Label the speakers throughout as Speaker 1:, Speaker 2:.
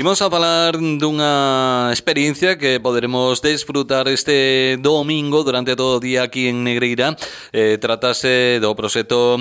Speaker 1: Imos a falar dunha experiencia que poderemos desfrutar este domingo durante todo o día aquí en Negreira. Trátase do proxecto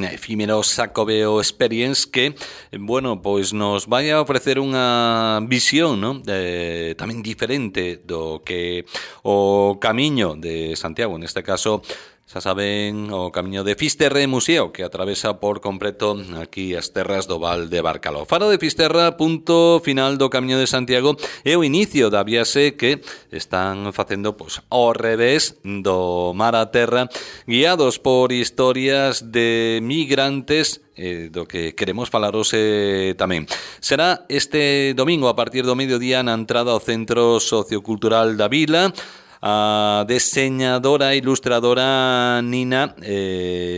Speaker 1: efímero Xacobeo Experience que, bueno, pois nos vai a ofrecer unha visión, non? Tamén diferente do que o Camiño de Santiago, neste caso, xa saben, o Camiño de Fisterra e Museo, que atravesa por completo aquí as terras do Val de Barcaló. Faro de Fisterra, punto final do Camiño de Santiago, é o inicio da viaxe que están facendo ao revés do mar a terra, guiados por historias de migrantes, do que queremos falar hoxe tamén. Será este domingo a partir do mediodía na entrada ao Centro Sociocultural da Vila. A deseñadora e ilustradora Nina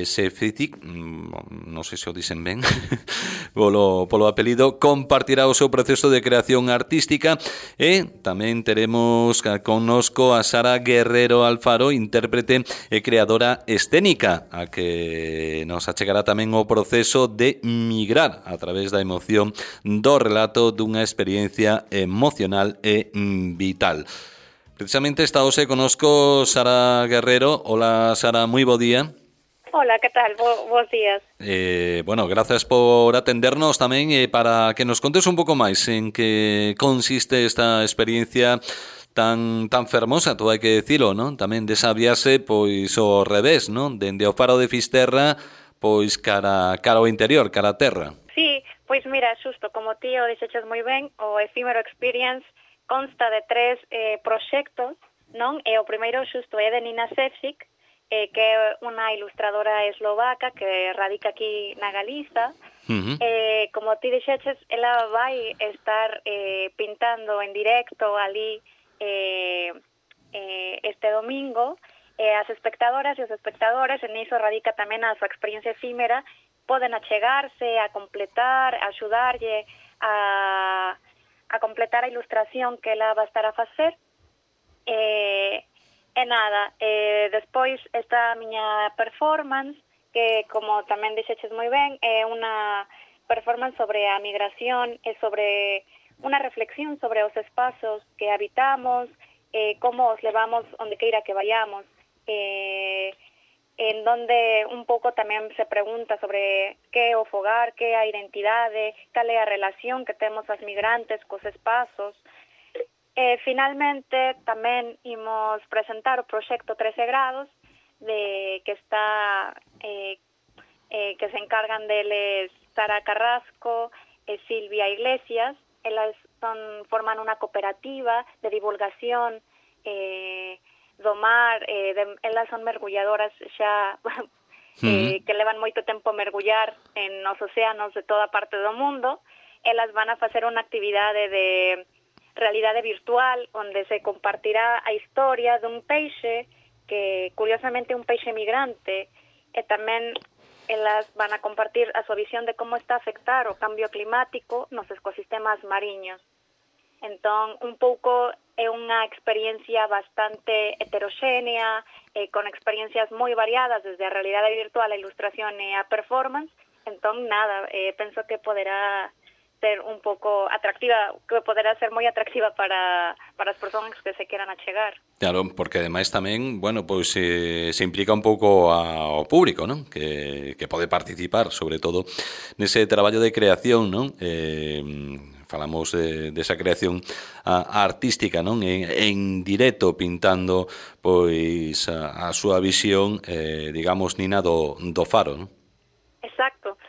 Speaker 1: Sefritic, non sei se o dicen ben polo apelido, compartirá o seu proceso de creación artística e tamén teremos connosco a Sara Guerrero Alfaro, intérprete e creadora escénica, a que nos achegará tamén o proceso de migrar a través da emoción do relato dunha experiencia emocional e vital. Precisamente está hoxe conosco Sara Guerrero. Hola, Sara, moi bo día.
Speaker 2: Hola, que tal? Bos días.
Speaker 1: Bueno, gracias por atendernos tamén para que nos contes un pouco máis en que consiste esta experiencia tan fermosa, todo hai que dicilo, non? Tamén desa viaxe, pois, ao revés, non? Dende o Faro de Fisterra, pois, cara ao interior, cara a terra.
Speaker 2: Sí, pois mira, xusto, como ti o dixeches moi ben, o Efímero Experience consta de 3 proxectos, non? E o primeiro xusto é de Nina Sefric, que é unha ilustradora eslovaca que radica aquí na Galiza. Como ti dixeches, ela vai estar pintando en directo ali este domingo. As espectadoras e os espectadores, en iso radica tamén a súa experiencia efímera, poden achegarse, a completar, a axudarlle a completar a ilustración que ela va a estar a facer. Despois está a miña performance, que, como tamén dixeches moi ben, é unha performance sobre a migración e sobre unha reflexión sobre os espazos que habitamos, como os levamos onde queira que vayamos, en donde un pouco tamén se pregunta sobre que é o fogar, que é a identidade, cal é a relación que temos as migrantes cos espazos. Finalmente, tamén imos presentar o proxecto 13 grados, que está que se encargan deles Sara Carrasco e Silvia Iglesias. Elas forman unha cooperativa de divulgación do mar, elas son mergulladoras xa que levan moito tempo mergullar en os océanos de toda parte do mundo. Elas van a facer unha actividade de realidade virtual onde se compartirá a historia dun peixe que, curiosamente, é un peixe migrante, e tamén elas van a compartir a súa visión de como está a afectar o cambio climático nos ecosistemas mariños. Entón, un pouco é unha experiencia bastante heteroxénea, con experiencias moi variadas, desde a realidade virtual, a ilustración e a performance. Entón, penso que poderá ser un pouco atractiva, que poderá ser moi atractiva para as persoas que se queran achegar.
Speaker 1: Claro, porque ademais tamén, bueno, pois se implica un pouco ao público, non? Que pode participar, sobre todo, nese traballo de creación, non? Falamos desa creación artística, non? En directo, pintando pois a súa visión, digamos, Nina, do faro, non?
Speaker 2: Exacto.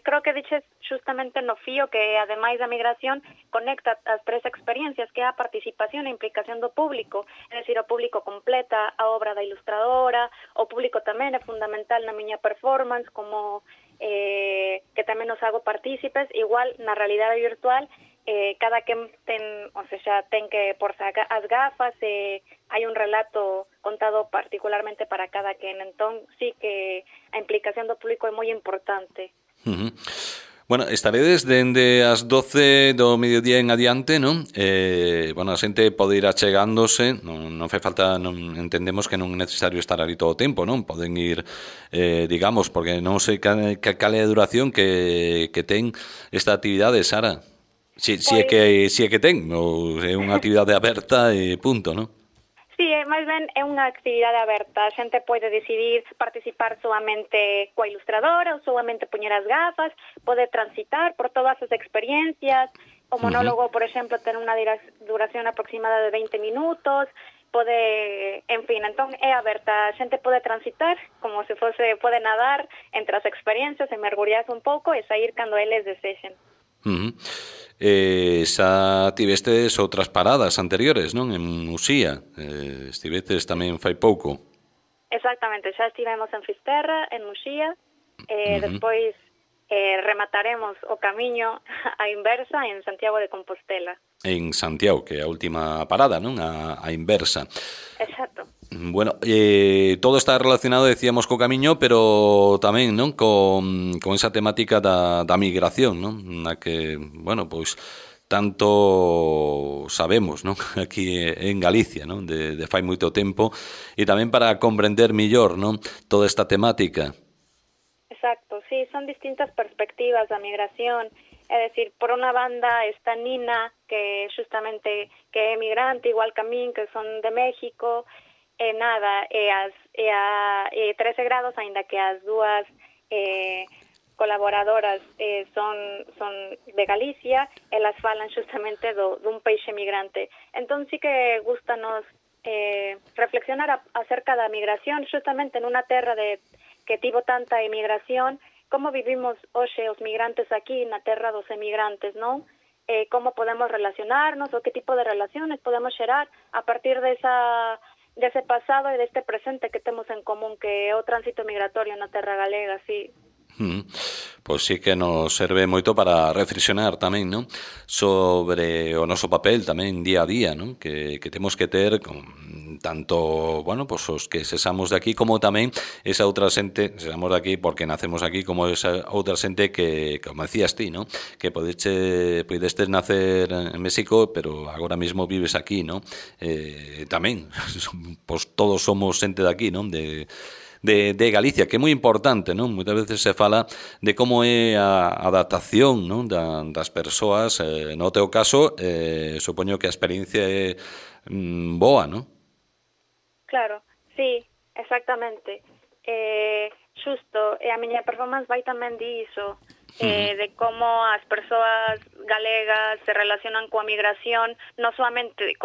Speaker 2: Creo que diches justamente no fío que, ademais da migración, conecta as 3 experiencias, que é a participación e implicación do público. É dicir, o público completa a obra da ilustradora, o público tamén é fundamental na miña performance, como que tamén nos hago partícipes. Igual, na realidade virtual, cada quen ten que porse as gafas, hai un relato contado particularmente para cada quen. Entón, sí que a implicación do público é moi importante.
Speaker 1: Bueno, estaredes dende as 12 do mediodía en adiante, non? Bueno, a xente pode ir achegándose, non fai falta, non entendemos que non é necesario estar ali todo o tempo, non? Poden ir, digamos, porque non sei cal é a duración que ten esta actividade, Sara.
Speaker 2: Pois
Speaker 1: Si é que ten, ou é unha actividade aberta e punto, non?
Speaker 2: sí, máis ben é unha actividade aberta. A xente pode decidir participar solamente coa ilustradora ou solamente poñer as gafas, pode transitar por todas as experiencias. O monólogo, por exemplo, ten unha duración aproximada de 20 minutos, pode, en fin, entón é aberta. A xente pode transitar como se fose, pode nadar entre as experiencias e mergullarse un pouco e sair cando eles desexen.
Speaker 1: Xa tivestes outras paradas anteriores, non? En Muxía, estivetes tamén fai pouco.
Speaker 2: Exactamente, xa estivemos en Fisterra, en Muxía, despois remataremos o camiño á inversa en Santiago de Compostela.
Speaker 1: En Santiago, que é a última parada, non? A inversa.
Speaker 2: Exacto.
Speaker 1: Bueno, todo está relacionado, decíamos, co camiño, pero tamén, non? Con esa temática da migración, non? Na que, bueno, pois tanto sabemos, non? Aquí en Galicia, non? De fai moito tempo, e tamén para comprender millor, non? Toda esta temática.
Speaker 2: Exacto, sí, son distintas perspectivas da migración. É dicir, por unha banda está Nina, que justamente que é migrante, igual que a min, que son de México, e nada, e 13 grados, aínda que as dúas colaboradoras son de Galicia, elas falan justamente dun peixe migrante. Entón sí que gustanos reflexionar acerca da migración, justamente en unha terra que tivo tanta emigración, como vivimos hoxe os migrantes aquí na terra dos emigrantes, non? Como podemos relacionarnos, o que tipo de relaciones podemos xerar a partir dese pasado e deste presente que temos en común, que é o tránsito migratorio na terra galega, sí.
Speaker 1: Pois sí que nos serve moito para reflexionar tamén, non? Sobre o noso papel tamén día a día, non? Que temos que ter con tanto, bueno, pois os que sesamos de aquí como tamén esa outra xente, sesamos de aquí porque nacemos aquí, como esa outra xente que, como decías ti, non? Que podestes nacer en México, pero agora mesmo vives aquí, non? Tamén, pois todos somos xente de aquí, non? De Galicia, que é moi importante, non? Moitas veces se fala de como é a adaptación, non? Das persoas, no teu caso, supoño que a experiencia é boa, non?
Speaker 2: Claro, sí, exactamente. Xusto, a miña performance vai tamén diso, de como as persoas galegas se relacionan coa migración, non solamente,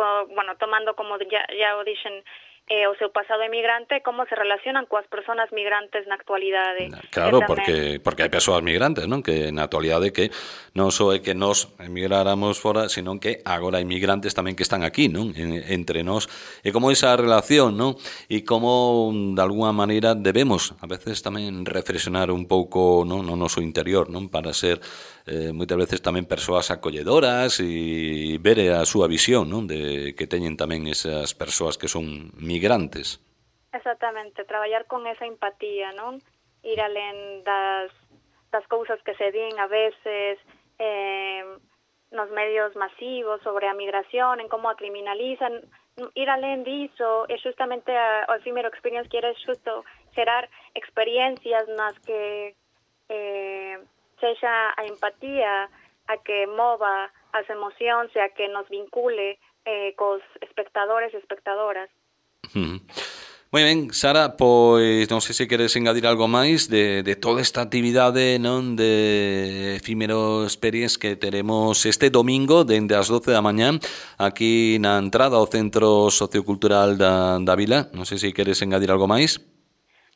Speaker 2: tomando como ya o dixen, o seu pasado emigrante, como se relacionan coas persoas migrantes na actualidade.
Speaker 1: Claro, porque hai persoas migrantes, non? Que na actualidade que non só é que nós emigráramos fora, sino que agora hai migrantes tamén que están aquí, non? Entre nós. E como esa relación, non? E como, de alguna maneira, debemos, a veces, tamén reflexionar un pouco, non? No noso interior, non? Para ser moitas veces tamén persoas acolledoras e ver a súa visión, non? De que teñen tamén esas persoas que son migrantes.
Speaker 2: Exactamente, traballar con esa empatía, non? Ir alén das cousas que se din a veces nos medios masivos sobre a migración, en como a criminalizan, ir alén diso, e justamente o Efímero Experience quere xusto xerar experiencias nas que sexa a empatía a que mova as emocións e a que nos vincule cos espectadores e espectadoras.
Speaker 1: Moi ben, Sara, pois non sei se queres engadir algo máis de toda esta actividade, non, de Efímero Experience que teremos este domingo dende as 12 da mañá aquí na entrada ao Centro Sociocultural da Vila. Non sei se queres engadir algo máis.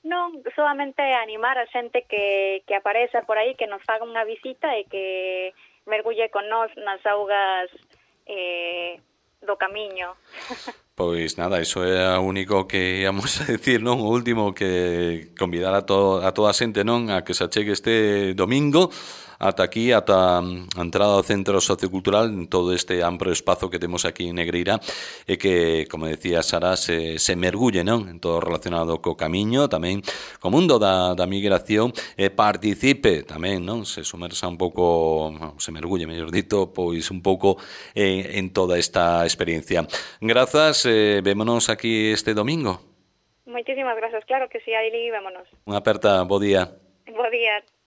Speaker 2: Non, solamente animar a xente que apareza por aí, que nos faga unha visita e que mergulle con nós nas augas do camiño.
Speaker 1: Pois nada, iso é o único que íamos a decir, non? O último, que convidar a toda a xente, non? A que se achegue este domingo ata aquí, ata a entrada ao Centro Sociocultural, en todo este amplo espazo que temos aquí en Negreira, e que, como decía Sara, se mergulle, non? En todo relacionado co camiño, tamén co mundo da migración, e participe tamén, non? Se sumersa un pouco, se mergulle, mellor dito, pois un pouco en toda esta experiencia. Grazas, vémonos aquí este domingo.
Speaker 2: Moitísimas grazas, claro que si, aí vémonos.
Speaker 1: Unha aperta, bo día.
Speaker 2: Bo día.